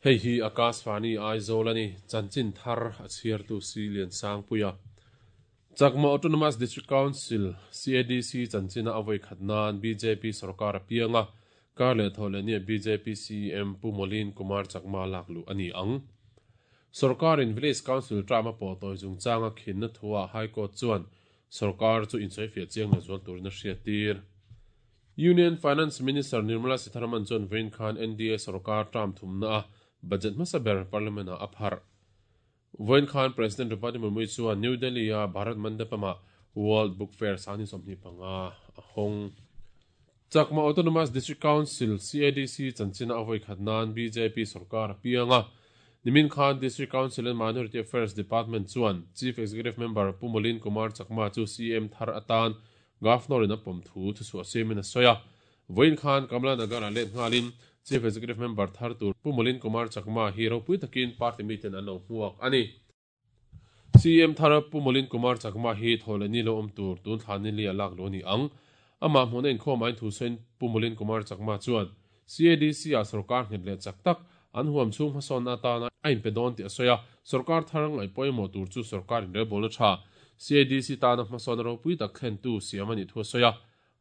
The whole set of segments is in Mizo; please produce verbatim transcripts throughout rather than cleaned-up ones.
Hei hi Akashvani Aizawl ani chanchin thar a chhiartu si lian sangpuia Chakma Autonomous District Council C A D C chanchina avoi khatnan B J P sarkar apianga karle thole ni B J P C M Pu Molin Kumar Chakma laklu ani ang Sarkar in Village Council trama po toy jung changa khin na thuwa High Court chuan sarkar chu insoi fia chiang na zual tur na hriatir Union Finance Minister Nirmala Sitharaman chuan Vain Khan N D A sarkar tram thumna budget masaber parliament a aphar Vain Khan President Draupadi Murmu chuan New Delhi a Bharat Mandapama World Book Fair sani somni panga hong Chakma Autonomous District Council C A D C chanchina avoi khatnan B J P sarkar pianga Nimin Khan District Council and Minority Affairs Department chuan Chief Executive Member Pu Molin Kumar Chakma chu C M Thar atan Governor in a pom thu thu su semin a soya Vain Khan Kamla Nagar a let ngalin Chief Executive Member Thar tur Pu Molin Kumar Chakma hi ropui takin party meeting an lo hmuak ani C M Thar Pu Molin Kumar Chakma hi thole ni lo om tur tun thlan ni li alak lo ni ang ama hmuna in khom ain thu sen Pu Molin Kumar Chakma chuan C A D C a sarkar nghet le chak tak an huam chung hmasawn atana a in pe dawn ti a soya sarkar tharang ai pawimawh tur chu sarkar in rebol tha C A D C tana hmasawn ropui tak thlen tu siam ani thu soya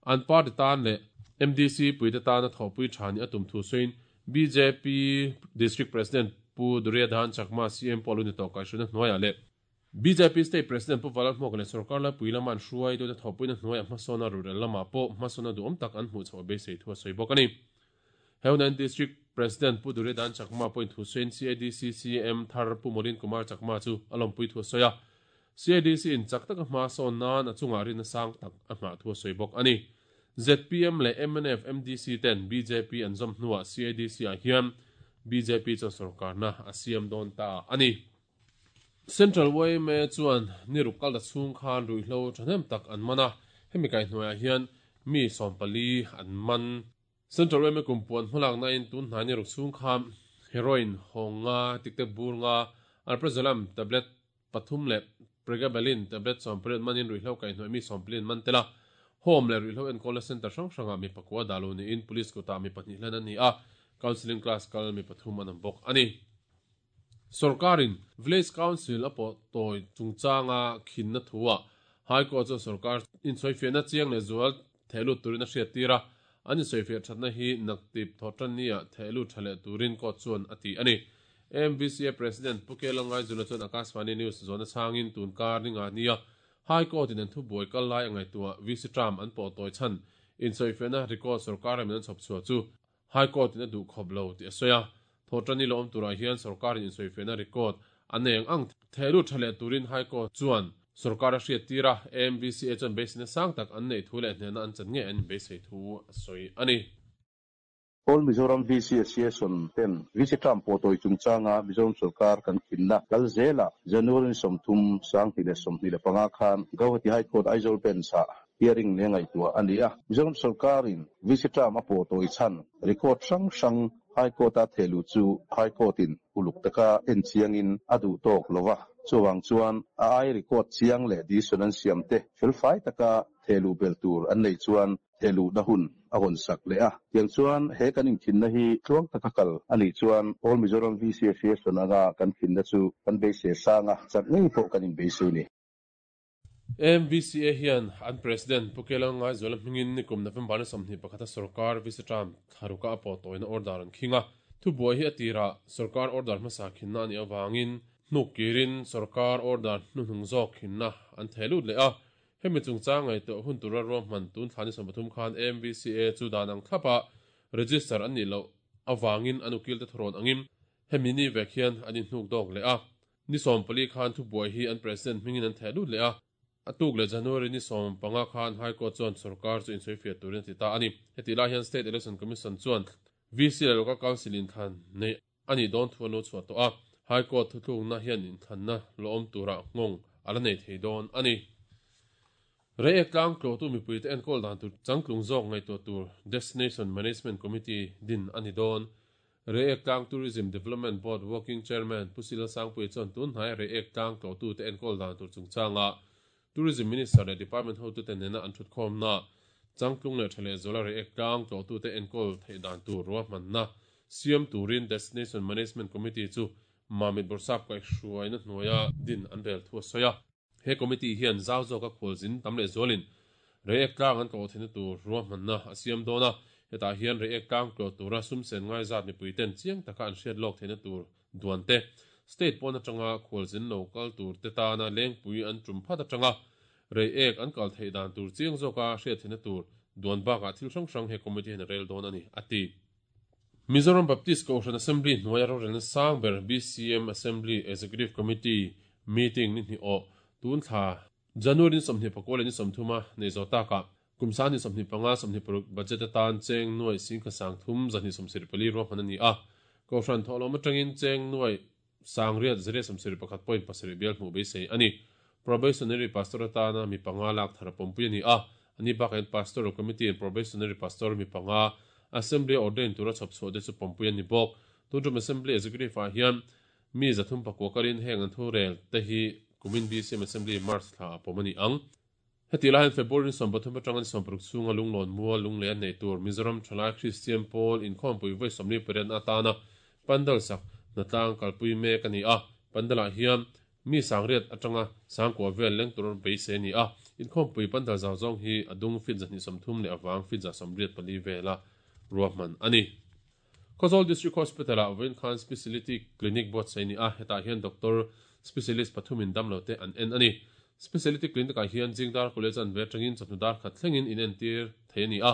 an party tan le M D C puite tana thawpui thani atum thu soin B J P District President Pu Duryodhan Chakma C M Poluni to kai shuna hnuaia le B J P State President Pu Valal Hmawk le sarkar la puilaman hruai tu te thawpui na hnuaia hmasawna rural lama pawh hmasawna duhawm tak an hmuh chhoh beisei thu a sawi bawk ani Heunan District President Pu Duryodhan Chakma point thu soin C A D C C M Thar Pu Molin Kumar Chakma chu alompui thu soya C A D C in chak taka hmasawn nan a chunga rin sang tak a hma thu sawi bawk ani Z P M le M N F M D C ten B J P an zawm hnuah C A D C ah hian B J P chuan sarkar na a siam dawn ta ani Central Y M A chuan ni ruk kal da chhung khan ruihhlo thahnem tak an mana hemi kai hnuaiah hian mi sawmpali an man Central Y M A kumpuan hmalak na in tun hnai ni ruk chhung khan heroin hawnga tikte bur nga alprazolam tablet pathum le pregabalin tablet sawmpariat manin ruihhlo kai hnuai mi sawmpalin man tela home le ruihhlo enkawl center hrang hranga mi pakua dalu ni in police kota mi pahnih hlan ani a counseling class kal mi pathum an bawk ani Sarkarin Village Council apo toy chungchanga khinna thuwa High Court chu sarkar in soifiana chiang le zual thelu turin a hriatira ani soifia thatna hi naktip thotran nia thelu thale turin ko chuan ati ani M V C A President Pukelangai zula chuan Akashvani News zona changin tunkar ninga nia High Court in thu boi kal lai angai tua V C tram an po toy chan in soifiana record sarkar amin chop chua chu High Court in a du khoblo ti asoya thotrani lom tura hian sarkar in soifiana record aneng ang thelu thale turin High Court chuan sarkar a hriatira M V C A chuan beisina sang tak an nei thu le hnena an chan nge an beisei thu a sawi ani All Mizoram V C Association ten V C tram po toy chungchanga Mizoram sarkar kan khinna kalzela January somthum sang hnih le sawmhnih le panga khan Guwahati High Court Aizawl bench ah hearing ne ngai tua ani a Mizoram sarkar in V C tram a po toy chan record hrang hrang High Court a thelu chu High Court in uluk taka en chiang in adu tok lova chuwang chuan a ai record chiang le decision an siam te felfai taka thelu bel tur an nei chuan thelu na hun a hon sak le a tiang chuan he kan in thin na hi tluang taka kal ani chuan All Mizoram V C Association anga kan thin na chu kan be se sanga chak ngei pawh kan in be se ni M V C A hian an President Pukelangai Zola hmingin nikum November ni sawmhnih pakhata sarkar V C tram tharuka a pawh tawina order an khinga thu buai hi atira sarkar order hmasa khinna ani awangin hnuk kirin sarkar order hnuhnung zawk khinna an thelut le a hemi chungchang ngai tawh hun tura ruahman tun thlani sawmpathum khan M V C A chu dan ang thlapa register an ni lo awangin an ukil te thurawn angin hemi ni vek hian an inhnuk dawk le a ni sawmpali khan thu buai hi an President hmingin an thelut le a atuk le January ni sawm panga khan High Court chuan sarkar chu insawifiah turin ti ta ani heti lai hian State Election Commission chuan V C le Local Council in thlan nei ani dawn thu an lo chhuah tawh a High Court thuthlukna hian inthlanna lawm tura ngawng ala nei thei dawn ani Re tlang tlo tu mipui te enkawl dan tur changtlung zawk ngai to tur Destination Management Committee din ani dawn Re tlang Tourism Development Board Working Chairman Pusila Sangpui chuan tun hnai re tlang tlo tu te enkawl dan tur chungchanga Tourism Minister le Department ho tu te nena an thut khawm na changtlung le thale zola re tlang tlo tu te enkawl thei dan tur ruahman na Siam turin Destination Management Committee chu Mamit Borsap kai hruaina hnuaia din an rel thu soya. He committee hian zau zawk a khawlzin tamle zolin Reiek tlang an tlawh theihna tur ruahmanna a siam dawn a, hetah hian Reiek tlang tlawh tura sum sen ngai zat mipui ten chiang taka an hriat lawk theihna tur duan te, state pawn atanga khawlzin lo kal tur te tana lengpui an tum phat atanga Reiek an kal theih dan tur chiang zawka hriat theihna tur duan bakah thil hrang hrang he committee hian a rel dawn a ni, a ti. Mizoram Baptist Kohhran Assembly hnuaia rorelna sang ber B C M Assembly Executive Committee meeting ni hnih awh tun thla January ni sawmhnih pakua leh ni sawmthuma nei zawh takah kum sang ni sawmhnih panga sawmhnih paruk budget atan cheng nuai singkha sang thum zahnih sawmsarih pali ruahman a ni a. Kohhran thawhlawm atangin cheng nuai sang riat zariat sawmsarih pakhat point pasarih bial hmuh beisei a ni. Probationary pastor atana mi panga lak thar a pawmpui a ni a. Ani bakah pastoral committee in probationary pastor mi panga assembly ordain tura chhawp chhuah te chu pawmpui a ni bawk. Tuntum assembly executive ah hian mi zathum pakua karin heng an thu rel te hi kumin B C M Assembly March thla a pawm a ni ang. Heti lai hian February ni sawm pathum atanga ni sawm paruk chhunga lunglawn mual lunglei an nei tur Mizoram Thalai Christian Pawl inkhawmpui vawi sawmli pariat atana pandal sak hnatlang kalpui mek a ni a. Pandalah hian mi sangriat atanga sangkua vel leng tur beisei a ni a. Inkhawmpui pandal zau zawng hi a dung fit zahnih sawmthum leh awang fit za sawmriat pali vela ruahman a ni. Khawzawl District Hospital ah vawiin khan Speciality Clinic buatsaih a ni a. Hetah hian doctor specialist pathumin damlo te an en a ni. Speciality clinic ah hian Jingdar College an ve atangin chawhnu dar khat thlengin in entir thei a ni a.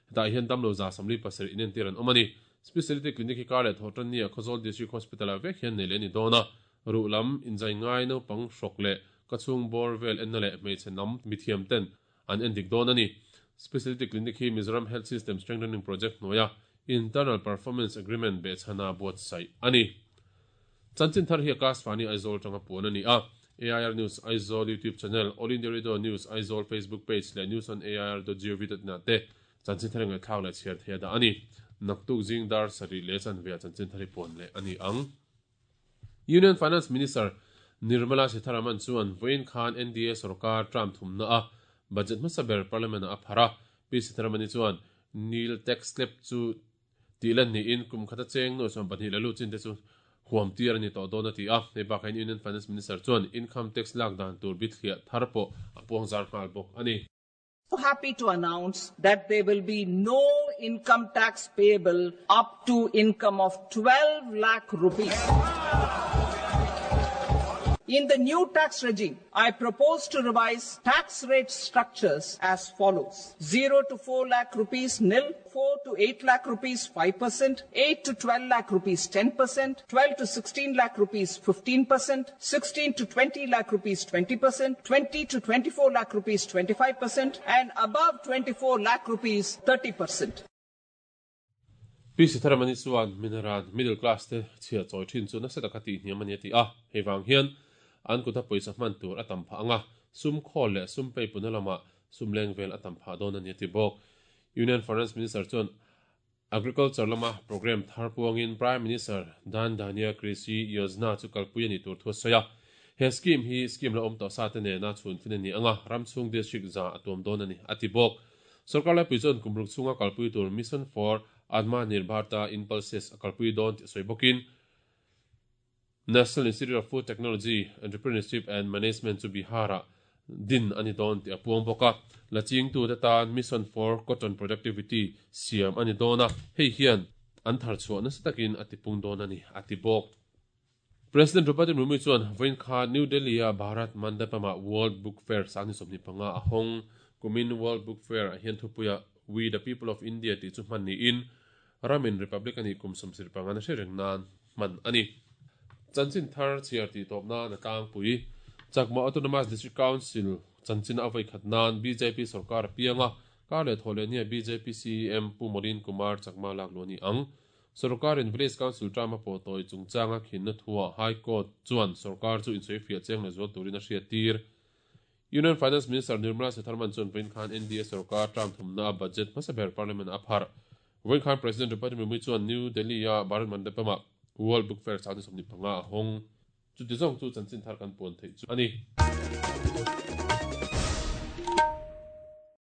Hetah hian damlo za samli pasarih in entir an awm a ni. Speciality clinic hi kar leh thawh tan nia Khawzawl District Hospital ah vek hian nei leh a ni dawn a. Ruh lam inzai ngai naupang hrawk leh ka chhung bawr vel enna leh hmeichhe nam mithiam ten an en dik dawn a ni. Speciality clinic hi Mizoram Health System Strengthening Project hnuaia Internal Performance Agreement behchhana buatsaih a ni. Chanchin thar hi Akashvani Aizawl tanga puan a ni a. A I R News Aizawl YouTube channel, All India Radio News Aizawl Facebook page leh news on A I R dot gov dot in ah te chanchin thar ngaihthlak leh chhiar thei a dah a ni. Naktuk zing dar sarih leh chanve ah chanchin thar hi puan leh a ni ang. Union Finance Minister Nirmala Sitharaman chuan vawiin khan N D A sarkar term thumna a budget hmasa ber parliament ah a phar a. P Sitharamani chuan nil tax slab chu tihlan niin kum khata cheng nuai sawm pahnih leh lu chin te chu huam tir a ni tawh dawn a ti a. Hei bakah hian Union Finance Minister chuan income tax lak dan tur bithliah thar pawh a puang zar nghal bawk a ni. So happy to announce that there will be no income tax payable up to income of twelve lakh rupees. In the new tax regime, I propose to revise tax rate structures as follows. zero to four lakh rupees nil, four to eight lakh rupees five percent, eight to twelve lakh rupees ten percent, twelve to sixteen lakh rupees fifteen percent, sixteen to twenty lakh rupees twenty percent, twenty to twenty-four lakh rupees twenty-five percent, and above twenty-four lakh rupees thirty percent. P Sitharamani chuan minaran middle class te chhia chawi thin chu nasa taka tih hniam a ni a ti a. Hei vang hian an kuta pawisa hman tur a tam phah anga sum khawl leh sum pei puna lama sum leng vel a tam phah dawn a ni a ti bawk. Union Finance Minister chuan Agriculture lama program thar puangin Prime Minister Dan Dhanya Krishi Yojana chu kalpui a ni tur thu a sawi a. He scheme hi scheme la awm tawh sa te nena chhun fin a ni anga Ramchhung District za a tuam dawn a ni a ti bawk. Sarkar laipui chuan kumruk chhunga kalpui tur Mission for Atmanirbharta in Pulses a kalpui dawn tih sawi bawkin National Institute of Food Technology, Entrepreneurship and Management chu Bihara din ani dawn tih a puang bawk a. Laching tu te tan Mission for Cotton Productivity siam ani dawn a. Hei hian an thar chhuah nasa takin a tipung dawn a ni a ti bawk. President Draupadi Murmu chuan vawiin kha New Delhi a Bharat Mandapama World Book Fair sangni sawmhnih panga a hawng. Kumin World Book Fair ah hian thupuia We the People of India tih chu hman niin Ramin Republic ani kum sawmsarih panga na hre reng nan hman a ni. Chanchin thar chhiar tih tawp nan a tlangpui. Chakma Autonomous District Council chanchin a vawi khat nan B J P sarkar a pianga kar leh thaw leh nia B J P C E M Pu Molin Kumar Chakma lak lu a ni ang. Sarkar in Village Council term a pawh tawi chungchanga khinna thua High Court chuan sarkar chu insawi fiah cheng leh zual turin a hriat tir. Union Finance Minister Nirmala Sitharaman chuan vawiin khan N D A sarkar term thumna a budget hmasa ber Parliament a phar. Vawiin khan President Draupadi Murmu chuan New Delhi a Bharat Mandapama World Book Fair sangni sawmhnih panga a hawng. Chuti zawng chu chanchin thar kan puan theih chu a ni.